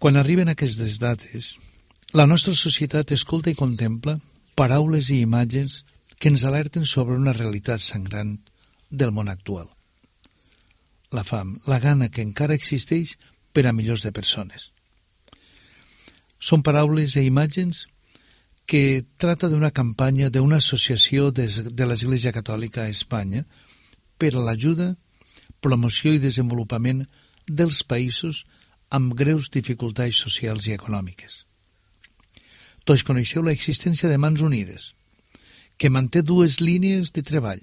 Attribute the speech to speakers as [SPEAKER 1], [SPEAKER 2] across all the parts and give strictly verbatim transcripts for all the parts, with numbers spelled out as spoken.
[SPEAKER 1] Quan arriben aquestes dates, la nostra societat escolta i contempla paraules i imatges que ens alerten sobre una realitat sangrant del món actual. La fam, la gana que encara existeix per a milions de persones. Són paraules i imatges que trata d'una campanya d'una associació de, de l'Església Catòlica a Espanya per a l'ajuda, promoció i desenvolupament dels països amb greus dificultats socials i econòmiques. Tots coneixeu l'existència de Mans Unides, que manté dues línies de treball: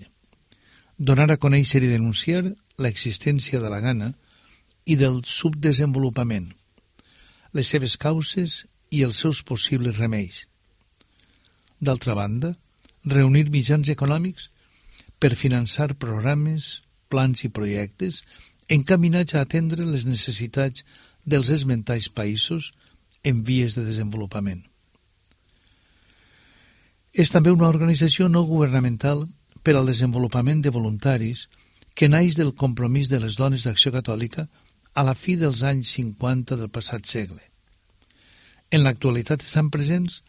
[SPEAKER 1] donar a conèixer i denunciar l'existència de la gana i del subdesenvolupament, les seves causes i els seus possibles remeis. D'altra banda, reunir mitjans econòmics per finançar programes, plans i projectes encaminats a atendre les necessitats dels esmentats països en vies de desenvolupament. És també una organització no governamental per al desenvolupament de voluntaris que naix del compromís de les dones d'Acció Catòlica a la fi dels anys cinquanta del passat segle. En l'actualitat estan presents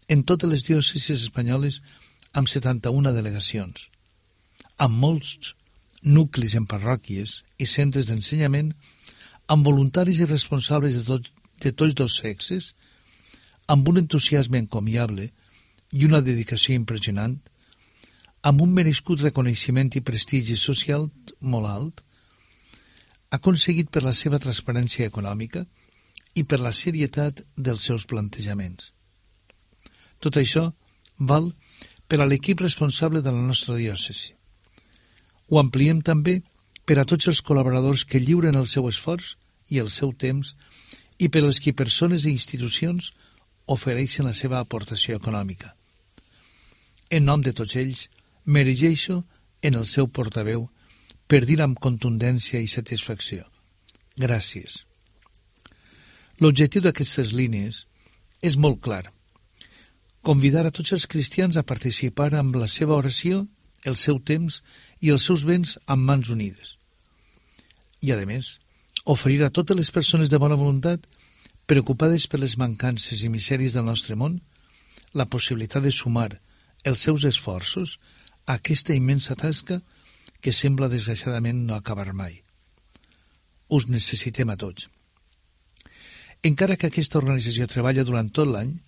[SPEAKER 1] en totes les diòcesis espanyoles amb setanta-una delegacions, amb molts nuclis en parròquies i centres d'ensenyament, amb voluntaris i responsables de, tot, de tots dos sexes, amb un entusiasme encomiable i una dedicació impressionant, amb un merescut reconeixement i prestigi social molt alt, aconseguit per la seva transparència econòmica i per la serietat dels seus plantejaments. Tot això val per a l'equip responsable de la nostra diòcesi. Ho ampliem també per a tots els col·laboradors que lliuren el seu esforç i el seu temps i per als que persones i institucions ofereixen la seva aportació econòmica. En nom de tots ells, m'erigeixo en el seu portaveu per dir amb contundència i satisfacció: gràcies. L'objectiu d'aquestes línies és molt clar: convidar a tots els cristians a participar amb la seva oració, el seu temps i els seus béns amb mans unides. I, a més, oferir a totes les persones de bona voluntat, preocupades per les mancances i misèries del nostre món, la possibilitat de sumar els seus esforços a aquesta immensa tasca que sembla desgraciadament no acabar mai. Us necessitem a tots. Encara que aquesta organització treballa durant tot l'any,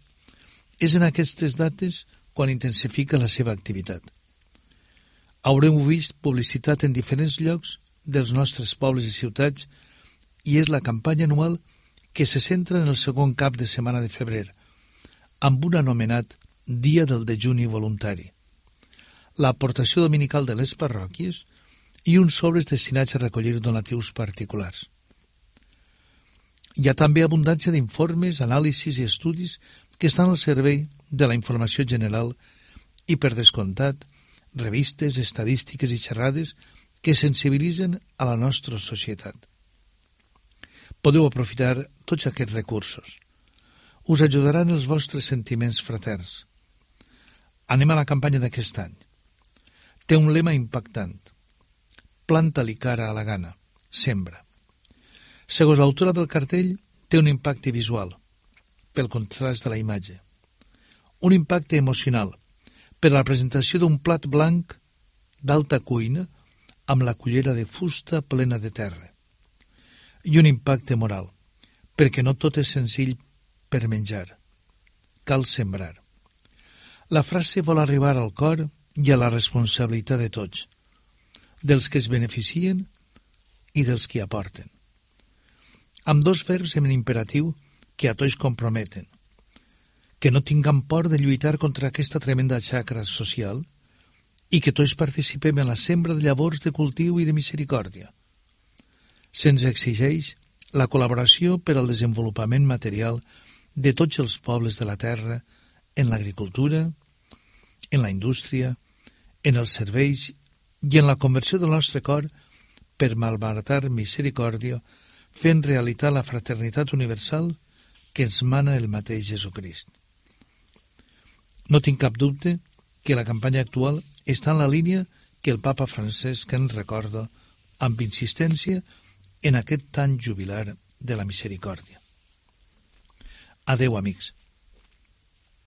[SPEAKER 1] és en aquestes dates quan intensifica la seva activitat. Haureu vist publicitat en diferents llocs dels nostres pobles i ciutats i és la campanya anual que se centra en el segon cap de setmana de febrer, amb un anomenat Dia del Dejuni Voluntari, l'aportació dominical de les parròquies i uns sobres destinats a recollir donatius particulars. Hi ha també abundància d'informes, anàlisis i estudis que estan al servei de la informació general i, per descomptat, revistes, estadístiques i xerrades que sensibilitzen a la nostra societat. Podeu aprofitar tots aquests recursos. Us ajudaran els vostres sentiments fraterns. Anem a la campanya d'aquest any. Té un lema impactant: planta-li cara a la gana, sembra. Segons l'autora del cartell, té un impacte visual, pel contrast de la imatge. Un impacte emocional, per la presentació d'un plat blanc d'alta cuina amb la cullera de fusta plena de terra. I un impacte moral, perquè no tot és senzill per menjar. Cal sembrar. La frase vol arribar al cor i a la responsabilitat de tots, dels que es beneficien i dels que aporten. Amb dos verbs en imperatiu que a tots comprometen, que no tinguem por de lluitar contra aquesta tremenda xacra social i que tots participem en la sembra de llavors de cultiu i de misericòrdia. Se'ns exigeix la col·laboració per al desenvolupament material de tots els pobles de la terra en l'agricultura, en la indústria, en els serveis i en la conversió del nostre cor per malbaratar misericòrdia, fent realitat la fraternitat universal que ens mana el mateix Jesucrist. No tinc cap dubte que la campanya actual està en la línia que el papa Francesc ens recorda amb insistència en aquest any jubilar de la misericòrdia. Adeu, amics.